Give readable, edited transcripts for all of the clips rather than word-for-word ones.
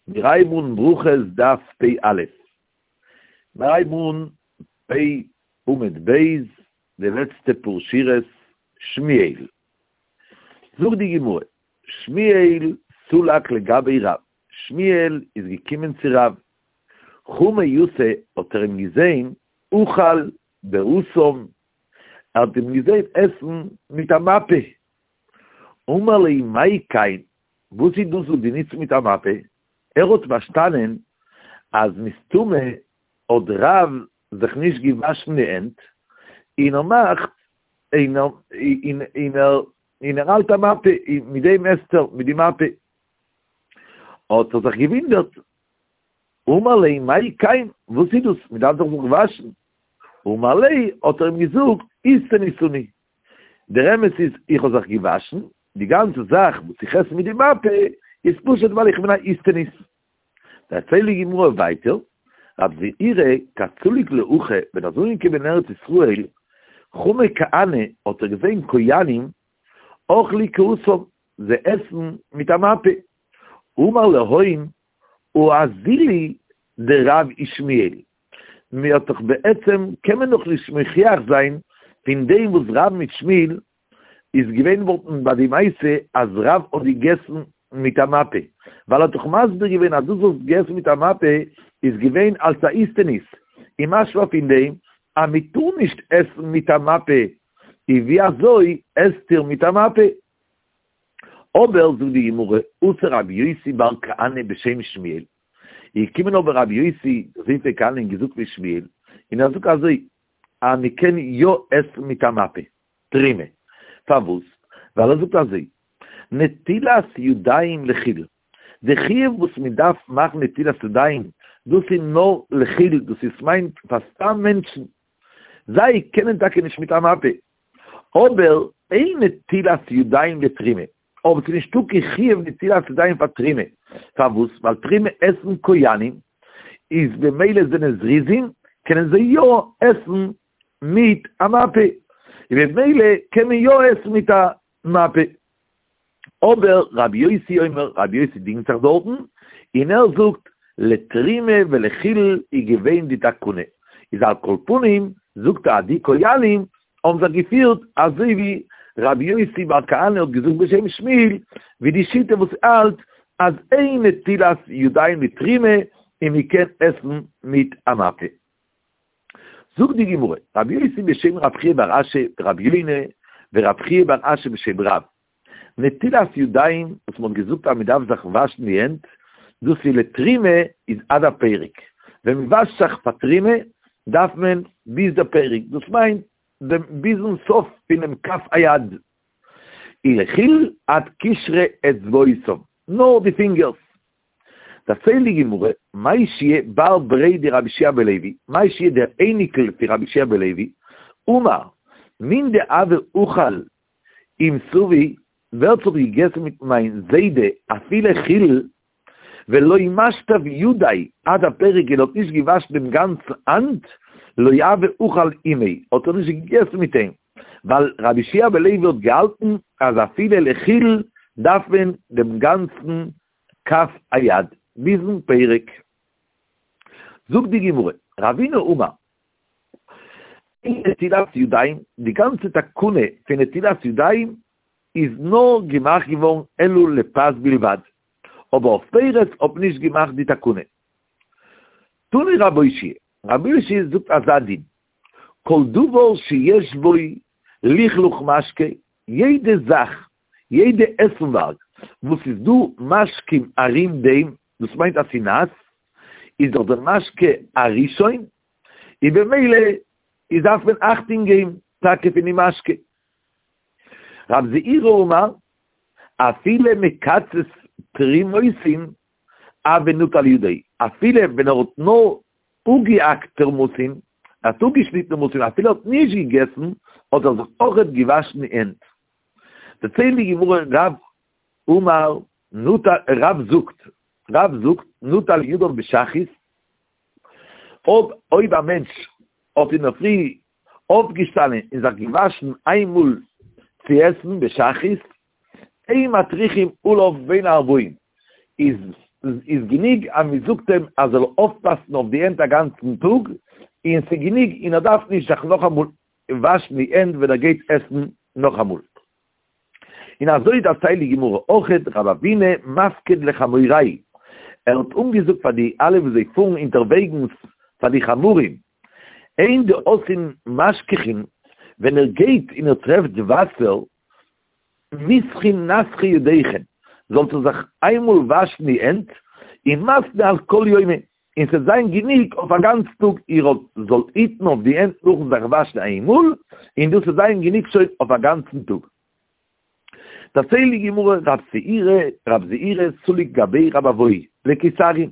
מיר הייבן אן ברכות דף פ א. מיר הייבן אן פ עמוד ב', די לעצטע פאר שורות, שמואל. זאגט די גמרא, שמואל סלק לגבי רב, שמואל איז געקומען צו רב, חמא יתא האט ער אים געזען אכל בהתם, ער האט אים געזען עסן מיט א מפה, אמר ליה מאי כן, וואס איז דאס וואס דו נוצט מיט א מפה? ער האט פארשטאנען אז מסתמא האט רב זיך נישט געוואשן די הענט, און ער מאכט און ער און ער האלט א מפה און מיט דעם עסט ער מיט די מפה. האט ער זיך געוואונדערט, אמר ליה מאי כן, וואס איז דאס, מען דארף דאך זיך וואשן. אמר ליה, האט ער אים געזאגט, איסטניס אני, דער אמת איז איך האב זיך געוואשן, די גאנצע זאך וואס איך עס מיט די מפה איז פשוט ווייל איך בין א איסטניס. דערציילט די גמרא ווייטער, רב זעירא כי סליק להכא, ווען ער איז אנגעקומען אין ארץ ישראל, חמא כהני, האט ער געזען כהנים אכלי כהתם, זיי עסן מיט א מפה, אמר להון הא אזילו דרב ושמואל, מען האט דאך בעצם קען מען דאך נישט מוכיח זיין פון דעם וואס רב מיט שמואל איז געווען וואלטן ביי די מעשה אז רב האט געגעסן מיט א מפה, ווייל ער האט דאך מסביר געווען אז דאס וואס געגעסן מיט א מפה איז געווען אלס א איסטניס, און משמע פון דעם אז מען טאר נישט עסן מיט א מפה, איז ווי אזוי עסט איר מיט א מפה? אבער זאגט די גמרא, אתא רבי יוסי בר כהנא בשם שמואל, איז געקומען אבער רבי יוסי דער זון פון כהנא און געזאגט ווי שמואל, און ער זאגט אזוי, אז מען קען יא עסן מיט א מפה, תרומה, פארוואס? ווייל ער זאגט אזוי, נטילת ידיים לחולין, די חיוב וואס מען דארף מאכן נטילת ידיים, דאס איז נאר לחולין, דאס איז מיינט פאר סתם מענטשן, זיי קענען טאקע נישט מיט א מפה, אבער אין נטילת ידיים לתרומה, אבער ס'איז נישטא קיין חיוב נטילת ידיים פאר תרומה, פארוואס? ווייל תרומה עסן כהנים, איז במילא זענען זריזים, קענען זיי יא עסן מיט א מפה, און במילא קען מען יא עסן מיט א מפה. אבער רבי יוסי אומר, רבי יוסי דינגט זיך דארטן, און ער זאגט, לתרומה ולחולין איז געווען די תקנה, איז על כל פנים זאגט ער אז די כהנים האבן זיך געפירט אזוי ווי רבי יוסי בר כהנא האט געזאגט בשם שמואל, ווי די שיטה וואס האלט אז אין נטילת ידיים לתרומה און מען קען עסן מיט א מפה. זאגט די גמרא, רבי יוסי בשם רב חייא בר אשי ורבי יונה ורב חייא בר אשי בשם רב, נטילת ידיים וואס מען האט געזאגט אז מען דארף זיך וואשן די הענט, דאס איז לתרומה איז עד הפרק, ווען מען וואשט זיך פאר תרומה דארף מען ביז די פרק, דאס מיינט דעם ביזן סוף פונעם כף היד, ולחולין עד קשרי אצבעותיו, נאר די פינגערס. דערציילט די גמרא, מאי שיע בר בריה דרבי יהושע בן לוי, מאי שיע דער אייניקל פון רבי יהושע בן לוי, אמר, מן דהוה אכיל עם סבי, ווער ס'האט געגעסן מיט מיין זיידע אפילו חולין, ולא משטף ידיה עד הפרק און האט נישט געוואשן דעם גאנצן האנט, לא הוה אכיל עמיה, האט ער נישט געגעסן מיט אים, ווייל רבי יהושע בן לוי האט געהאלטן אז אפילו לחולין דארף מען דעם גאנצן כף היד ביזן פרק. זאגט די גמרא, רבינא אמר, אין נטילת ידיים, די גאנצע תקנה פון נטילת ידיים איז נאר געמאכט געווארן אלא לפת בלבד, אבער אויף פירות האט מען נישט געמאכט די תקנה. תני רב אושעיא, רב אושעיא זאגט אזא דין, כל דבר שיש בו לכלוך משקה, יעדע זאך יעדע עסנווארג וואס איז דא משקים ארום דעם, דאס מיינט אז ס'איז נאס, איז דאך דער משקה א ראשון, און במילא איז דארף מען אכטונג געבן טאקע פון די משקה. רב זעירא אמר, אפילו מקצת תרומוסין הוי נוטל ידו, אפילו ווען ער האט נאר אפגעהאקט תרמוסין, ער האט אפגעשניטן תרמוסין, אפילו ער האט נישט געגעסן, האט ער זיך אויכעט געוואשן די הענט. דערציילט די גמרא רב אמר נטל רב זאגט רב זאגט נטל ידיו בשחרית אויב אויב א מענטש האט אינדערפרי אויפגעשטאנען און זיך געוואשן איינמאל צו עסן בשחרית אין מטריחין עליו בין הערבים איז. איז גענוג אז מען זאגט אים אז ער זאל אויפפאסן אויף די הענט א גאנצן טאג, און ס'איז גענוג און ער דארף נישט זיך נאכאמאל וואשן די הענט ווען ער גייט עסן נאכאמאל. און אזוי דערציילט די גמרא אויכעט רב אבינא מפקיד לחמוריה, ער האט אנגעזאגט פאר די אלע וואס זיי פארן אונטערוועגנס פאר די חמורים, הן דאתון משככין, ווען איר גייט און איר טרעפט וואסער, מיסחין נסכי ידיכון, זאלט איר זיך איינמאל וואשן די הענט, און מתני על כל יומא, און ס'וועט זיין גענוג אויף א גאנץ טאג, איר זאלט היטן אויף די הענט נאכן זיך וואשן איינמאל, און דאס וועט זיין גענוג שוין אויף א גאנצן טאג. דערציילט די גמרא, רב זעירא, רב זעירא סליק גביה רב אבהו לקיסריה,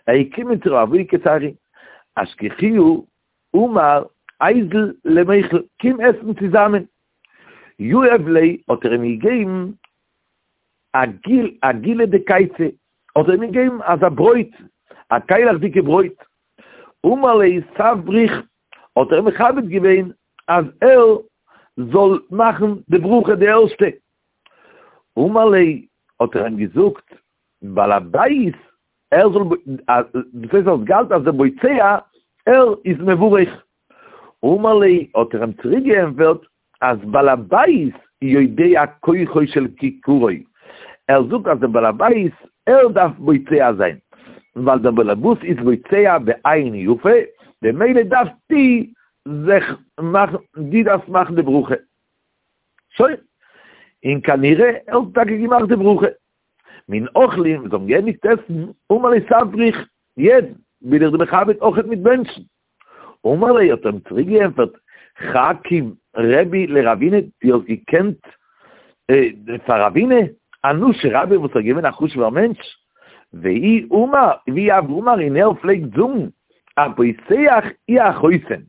ער איז געקומען צו רב אבהו קיסריה, אשכחוהו אמר איזיל למיכל, קום עסן צוזאמען. יהב ליה האט ער אים געגעבן עגיל עגילא דקייצא, האט ער אים געגעבן אזא ברויט, א קיילעכדיגע ברויט. אמר ליה סב בריך, האט ער אים מכבד געווען אז ער זאל מאכן די ברכה די ערשטע. אמר ליה, האט ער אים געזאגט, בעל הבית ער זאל, דאס הייסט ער האט געהאלטן אז דער בוצע ער איז מברך. אמר ליה, האט ער אים צוריק געענטפערט, אז בעל הבית יודע כוחו של כיכרו, ער זאגט אז דער בעל הבית ער דארף בוצע זיין, ווייל דער בעל הבית איז בוצע בעין יפה, במילא דארפסטו זיך מאכן, דו דארפסט מאכן די ברכה. שוין. און כנראה ער האט טאקע געמאכט די ברכה. מן אכלין, זיי האבן געענדיגט עסן, אמר ליה סב בריך, יעצט בין איך דיר מכבד אויכעט מיט בענטשן. אמר ליה האט ער אים צוריק געענטפערט, חקיב רבי לרבינא, דו האסט געקענט פאר רבינא, אנושי רבה וואס איז געווען א חשוב'ער מענטש, ואיהו אמר, ואיהו הוה אמר און ער פלעגט זאגן, הפותח הוא החותם,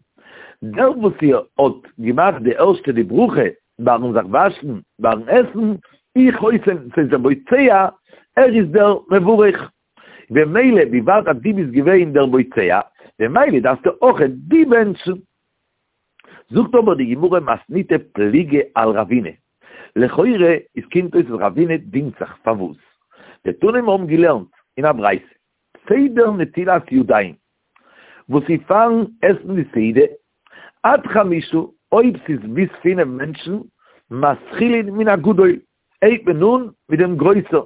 דער וואס איר האט געמאכט די ערשטע די ברכה ביים זיך וואשן ביים עסן, הוא חותם, ס'איז דער בוצע, ער איז דער מברך. במילא וויבאלד אז דו ביסט געווען דער בוצע, במילא דארפסטו אויכעט דו בענטשן. זאגט אבער די גמרא מתניתא פליגא על רבינא, לכאורה איז קומט אויס אז רבינא דינגט זיך, פארוואס? דתנא מיר האבן געלערנט אין א ברייתא, סדר נטילת ידיים, וואס איז פארן עסן די סעודה, עד חמשה, אויב ס'איז ביז פינף מענטשן, מתחילין מן הגדול, הייבט מען אן מיט דעם גרויסער.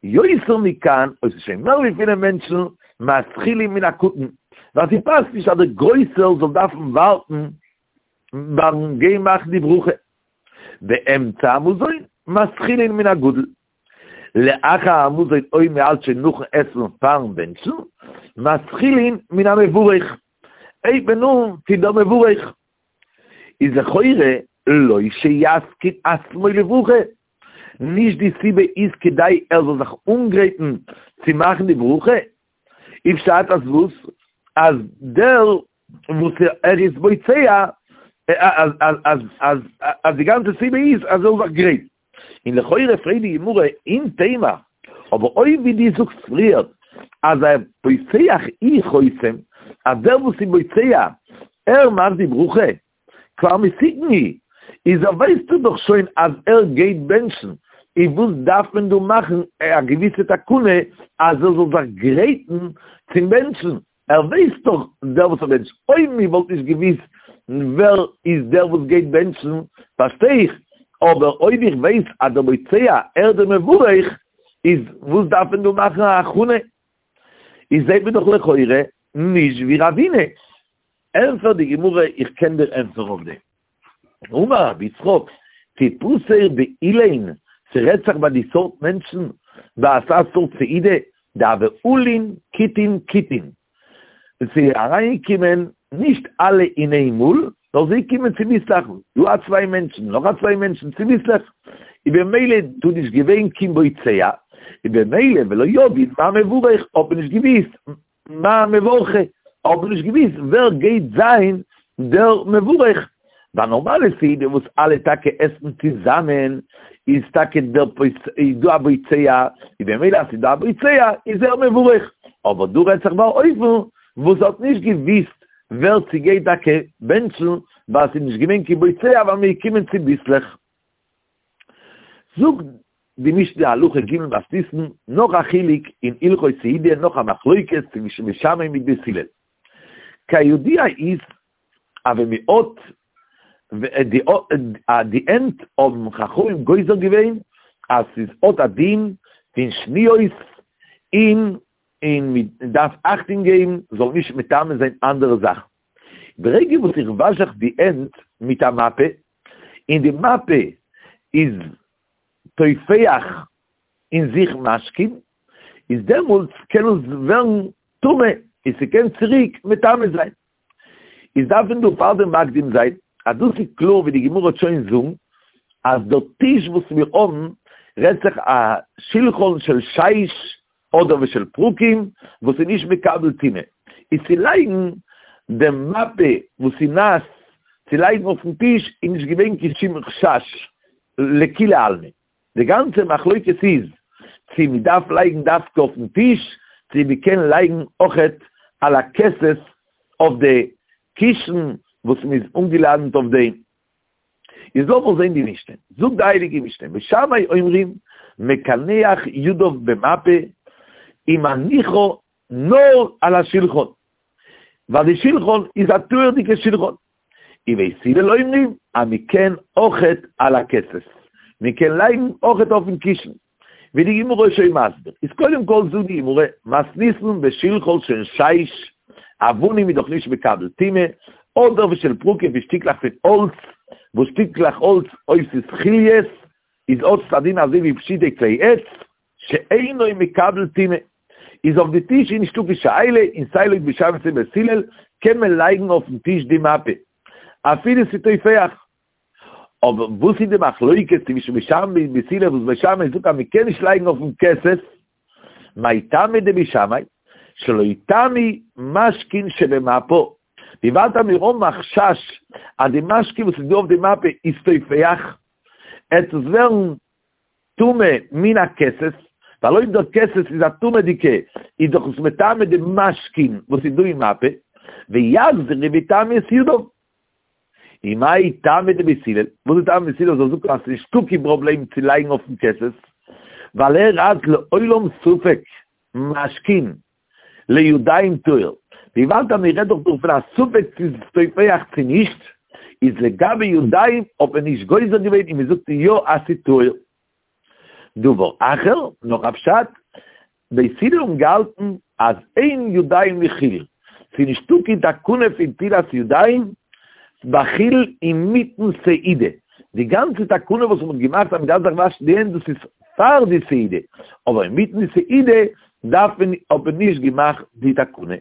יותר מכאן, אויב ס'איז שוין מער ווי פינף מענטשן, מתחילין מן הקטן, ווייל ס'פאסט נישט אז דער גרויסער זאל דארפן ווארטן ביים גיין מאכן די ברכה. באמצע המזון, מתחילין מן הגדול. לאחר המזון אויב מ'האלט שוין נאכן עסן פארן בענטשן, מתחילין מן המברך, הייבט מען אן פון דער מברך. איז לכאורה לא שיתקין עצמו לברכה, נישט די סיבה איז כדי ער זאל זיך אנגרייטן צו מאכן די ברכה, איז פשט אז וואס? אז דער וואס ער איז בוצע אז אז אז אז אז די גאנצע סיבה איז אז ער זאל זיך גרייטן. און לכאורה פרעגט די גמרא אם תימא, אבער אויב ווי דו זאגסט פריער אז הפותח הוא חותם, אז דער וואס איז בוצע ער מאכט די ברכה, כבר מתוקן הוא, איז ער ווייסטו דאך שוין אז ער גייט בענטשן, איז וואס דארף מען דא מאכן א געוויסע תקנה אז ער זאל זיך גרייטן צום בענטשן, ער ווייסט דאך דער וואס ער בענטשט, אויב מען וואלט נישט געוויסט ווער איז דער וואס גייט בענטשן פארשטיי איך, אבער אויב איך ווייס אז דער בוצע ער דער מברך, איז וואס דארף מען דא מאכן א הכנה? איז זעט מען דאך לכאורה נישט ווי רבינא. ענפערט די גמרא איך קען דיר ענטפערן אויף דעם. אמר רבי יצחק, תיפתר באילין, ס'רעדט זיך ביי די סארט מענטשן, ביי אזא סארט סעודה, דהוו עלין כיתין כיתין, ס'איז אריינגעקומען נישט אלע אין איין מאל, נאר זיי קומען צוביסלעך, דא א צוויי מענטשן, נאך א צוויי מענטשן, צוביסלעך, איז במילא דא נישט געווען קיין בוצע, איז במילא ולא ידעי מאי מברך, האט מען נישט געוואוסט מאי מברכי, האט מען נישט געוואוסט ווער גייט זיין דער מברך. ביי נארמאלע סעודה וואס אלע טאקע עסן צוזאמען, איז טאקע דער איז דא א בוצע, איז במילא אז ס'איז דא א בוצע איז ער מברך, אבער דא רעדט זיך ביי אן אופן וואס האט נישט געוואוסט ווער ס'גייט טאקע בענטשן, ווייל ס'איז נישט געווען קיין בוצע ווייל מ'איז געקומען צוביסלעך. זאגט. די משנה הלכה ג' מתניתין, נאך א חילוק אין הלכות סעודה, נאך א מחלוקת צווישן בית שמאי מיט בית הלל. כידוע איז אז ווען מען האט די הענט האבן חכמים גוזר געווען אז ס'איז האט א דין פון שניות און און מען דארף אכטונג געבן זאל נישט מטמא זיין אנדערע זאכן. ברגע וואס איך וואש זיך די הענט מיט א מפה און די מפה איז טופח אין זיך משקין, איז דעמאלטס קען עס ווערן טמא און ס'קען צוריק מטמא זיין. איז דארף מען דא פארדעם מקדים זיין אז דאס איז קלאר ווי די גמרא וועט שוין זאגן אז דער טיש וואס מיר האבן רעדט זיך א שלחן של שיש אדער ושל פרקים וואס איז נישט מקבל טומאה, איז צו לייגן דעם מפה וואס איז נאס צו לייגן אויפן טיש איז נישט געווען קיין שום חשש לכולי עלמא. די גאנצע מחלוקת איז צו מען דארף לייגן דווקא אויפן טיש, צו מען קען לייגן אויכעט על הכסת אויף די קישן וואס מען איז אנגעלאדענט אויף דעם. איז לאמיר זען די משנה. זאגט די הייליגע משנה, בית שמאי אומרים מקנח ידיו במפה ומניחה נאר על השולחן, ווייל די שולחן איז א טהור'דיגע שולחן. ובית הלל אומרים אז מען קען אויכעט על הכסת, מען קען לייגן אויכעט אויפן קישן, ווי די גמרא איז שוין מסביר, איז קודם כל זאגט די גמרא, מתניתין בשלחן של שיש, אבנים איז דאך נישט מקבל טומאה, אדער ושל פרקים פון שטיקלעך פון האלץ, וואס שטיקלעך האלץ אויב ס'איז חוליות, איז האט עס א דין אזוי ווי פשוטי כלי עץ, שאינו מקבל טומאה, איז אויף די טיש איז נישטא קיין שאלה, און סיי לויט בית שמאי סיי בית הלל קען מען לייגן אויפן טיש די מפה, אפילו ס'איז טופח. אבער וואס איז די מחלוקת צווישן בית שמאי און בית הלל וואס בית שמאי זאגט אז מען קען נישט לייגן אויפן כסת, מאי טעמא דבית שמאי, שלא יטמאו משקין שבמפה, וויבאלד אז מיר האבן א חשש אז די משקין וואס איז דא אויף די מפה איז טופח, עט עס ווערן טמא מן הכסת, ווייל אויב דער כסת איז א טמא'דיגע איז דאך עס מטמא די משקין וואס איז דא אין מפה, ויחזרו ויטמאו את ידיו. ומאי טעמא דבית הלל, וואס איז טעמא דבית הלל זאל זאגן אז ס'איז נישטא קיין פראבלעם צו לייגן אויפן כסת, ווייל ער האלט לעולם ספק משקין לידיים טהור, וויבאלד אז מ'רעדט דאך דא פון א ספק צו ס'איז טופח צו נישט, איז לגבי ידיים האט מען נישט גוזר געווען און מ'זאגט יא אז ס'איז טהור. דבר אחר, נאך א פשט, בית הלל האבן געהאלטן אז אין ידיים לחולין, ס'איז נישטא קיין תקנה פון נטילת ידיים בחולין אינמיטן סעודה, די גאנצע תקנה וואס מ'האט געמאכט אז מ'דארף זיך וואשן די הענט דאס איז פאר די סעודה, אבער אינמיטן די סעודה דארף מען האט מען נישט געמאכט די תקנה.